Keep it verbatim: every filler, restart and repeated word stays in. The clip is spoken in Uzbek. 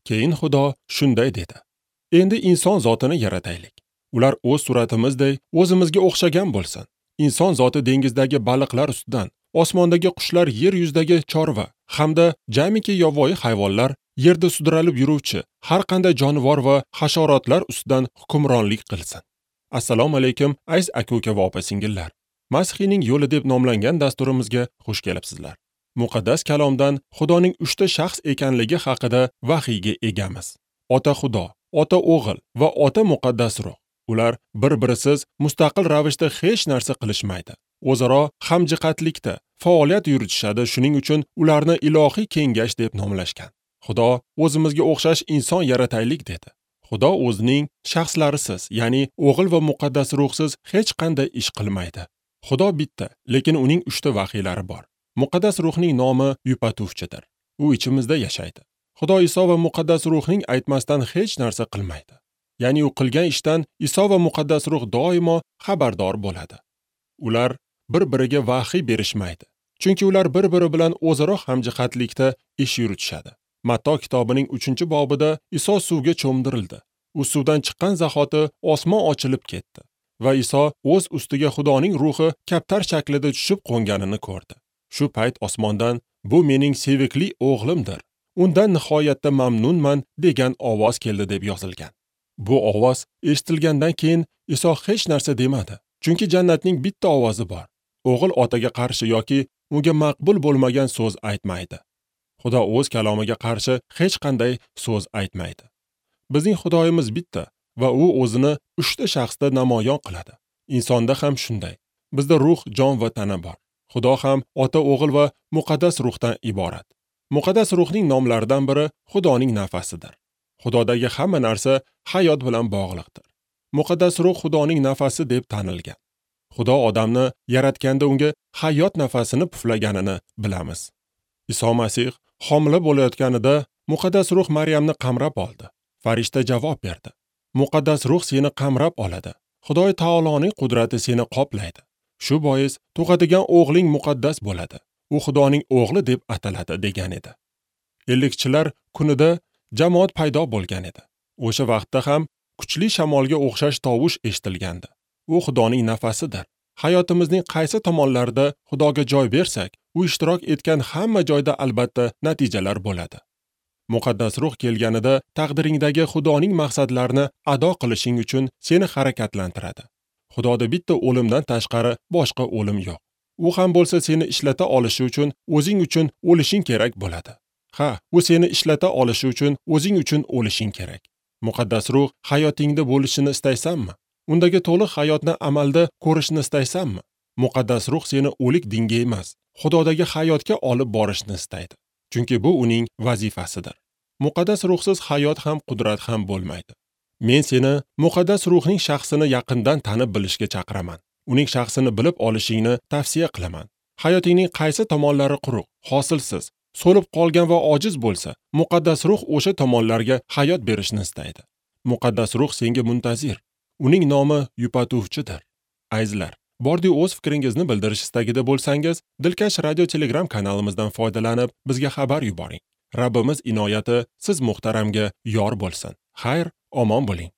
Keyin Xudo shunday dedi: Endi inson zotini yarataylik. Ular o'z suratimizday o'zimizga o'xshagan bo'lsin. Inson zoti dengizdagi baliqlar ustidan, osmondagi qushlar, yer yuzidagi chorva hamda jamiki yovvoyi hayvonlar, yerda sudralib yuruvchi har qanday jonivor va hasharotlar ustidan hukmronlik qilsin. Assalomu alaykum, aziz aka-uka va opa-singillar. Masihiyning yo'li deb nomlangan dasturimizga xush kelibsizlar. Muqaddas kalomdan Xudoning uchta shaxs ekanligi haqida vahiyga egamiz. Ota Xudo, Ota O'g'il va Ota Muqaddas Ruh. Ular bir-birisiz mustaqil ravishda hech narsa qilishmaydi. O'zaro hamjihatlikda faoliyat yuritishadi, shuning uchun ularni ilohiy kengash deb nomlashgan. Xudo o'zimizga o'xshash inson yarataylik dedi. Xudo o'zining shaxslarisiz, ya'ni O'g'il va Muqaddas Ruhsiz hech qanday ish qilmaydi. Xudo bitta, lekin uning uchta vahiylari bor. Muqaddas Ruhning nomi yupatuvchidir. U ichimizda yashaydi. Xudo Iso va Muqaddas Ruhning aytmasdan hech narsa qilmaydi. Ya'ni u qilgan ishdan Iso va Muqaddas Ruh doimo xabardor bo'ladi. Ular bir-biriga vahiy berishmaydi. Chunki ular bir-biri bilan o'zaro hamjihatlikda ish yuritishadi. Matto kitobining uchinchi bobida Iso suvga cho'mdirildi. U suvdan chiqqan zahoti osmon ochilib ketdi va Iso o'z ustiga Xudoning ruhi kaptar shaklida tushib qo'nganini ko'rdi. Shu payt osmondan "Bu mening sevikli o'g'limdir. Undan nihoyatda mamnunman" degan ovoz keldi deb yozilgan. Bu ovoz eshitilgandan keyin Iso hech narsa demadi. Chunki jannatning bitta ovozi bor. O'g'il otaga qarshi yoki unga maqbul bo'lmagan so'z aytmaydi. Xudo o'z kalomiga qarshi hech qanday so'z aytmaydi. Bizning Xudoyimiz bitta va u o'zini uchta shaxsda namoyon qiladi. Insonda ham shunday. Bizda ruh, jon va tana bor. Xudo ham Ota, O'g'il va Muqaddas Ruhdan iborat. Muqaddas Ruhning nomlaridan biri Xudoning nafasidir. Xudodagi hamma narsa hayot bilan bog'liqdir. Muqaddas Ruh Xudoning nafasi deb tanilgan. Xudo odamni yaratganda unga hayot nafasini puflaganini bilamiz. Iso Masih homila bo'layotganida Muqaddas Ruh Maryamni qamrab oldi. Farishta javob berdi: Muqaddas Ruh seni qamrab oladi. Xudoy taoloning qudrati seni qoplaydi. Shu bois tug'adigan o'g'ling muqaddas bo'ladi. U Xudoning o'g'li deb ataladi degan edi. Ellikchilar kunida jamoat paydo bo'lgan edi. O'sha vaqtda ham kuchli shamolga o'xshash tovush eshitilgandi. U Xudoning nafasidir. Hayotimizning qaysi tomonlarida Xudoga joy bersak, u ishtirok etgan hamma joyda albatta natijalar bo'ladi. Muqaddas Ruh kelganida taqdiringdagi Xudoning maqsadlarini ado qilishing uchun seni harakatlantiradi. Xudoda bitta o'limdan tashqari boshqa o'lim yo'q. U ham bo'lsa seni ishlata olishi uchun o'zing uchun o'lishing kerak bo'ladi. Ha, u seni ishlata olishi uchun o'zing uchun o'lishing kerak. Muqaddas Ruh hayotingda bo'lishini istaysanmi? Undagi to'liq hayotni amalda ko'rishni istaysanmi? Muqaddas Ruh seni o'lik dinga emas, Xudodagi hayotga olib borishni istaydi. Chunki bu uning vazifasidir. Muqaddas Ruhsiz hayot ham, qudrat ham bo'lmaydi. Men seni Muqaddas Ruhning shaxsini yaqindan tanib bilishga chaqiraman. Uning shaxsini bilib olishingni tavsiya qilaman. Hayotingning qaysi tomonlari quruq, hosilsiz, so'lib qolgan va ojiz bo'lsa, Muqaddas Ruh o'sha tomonlarga hayot berishni istaydi. Muqaddas Ruh senga muntazir. Uning nomi yupatuvchidir. Azizlar, bordi o'z fikringizni bildirish istagida bo'lsangiz, Dilkash radio Telegram kanalimizdan foydalanib bizga xabar yuboring. Rabbimiz inoyati siz muhtaramga yor bo'lsin. Xayr, omon bo'ling.